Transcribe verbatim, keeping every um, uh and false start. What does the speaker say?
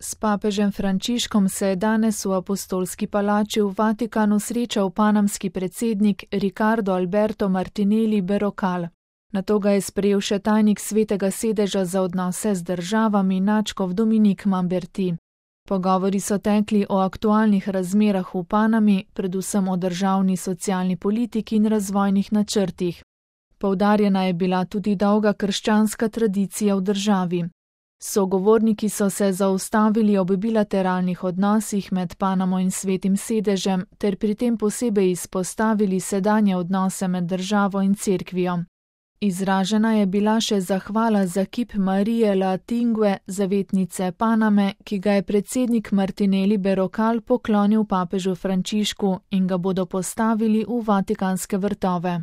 S papežem Frančiškom se je danes v Apostolski palači v Vatikanu srečal panamski predsednik Ricardo Alberto Martinelli Berrocal. Nato ga je sprejel še tajnik Svetega sedeža za odnose z državami nadškof Dominik Mamberti. Pogovori so tekli o aktualnih razmerah v Panami, predvsem o državni socialni politiki in razvojnih načrtih. Poudarjena je bila tudi dolga krščanska tradicija v državi. Sogovorniki so se zaustavili ob bilateralnih odnosih med Panamo in Svetim sedežem ter pri tem posebej izpostavili sedanje odnose med državo in cerkvijo. Izražena je bila še zahvala za kip Marije La Tingue, zavetnice Paname, ki ga je predsednik Martinelli Berrocal poklonil papežu Frančišku in ga bodo postavili v Vatikanske vrtove.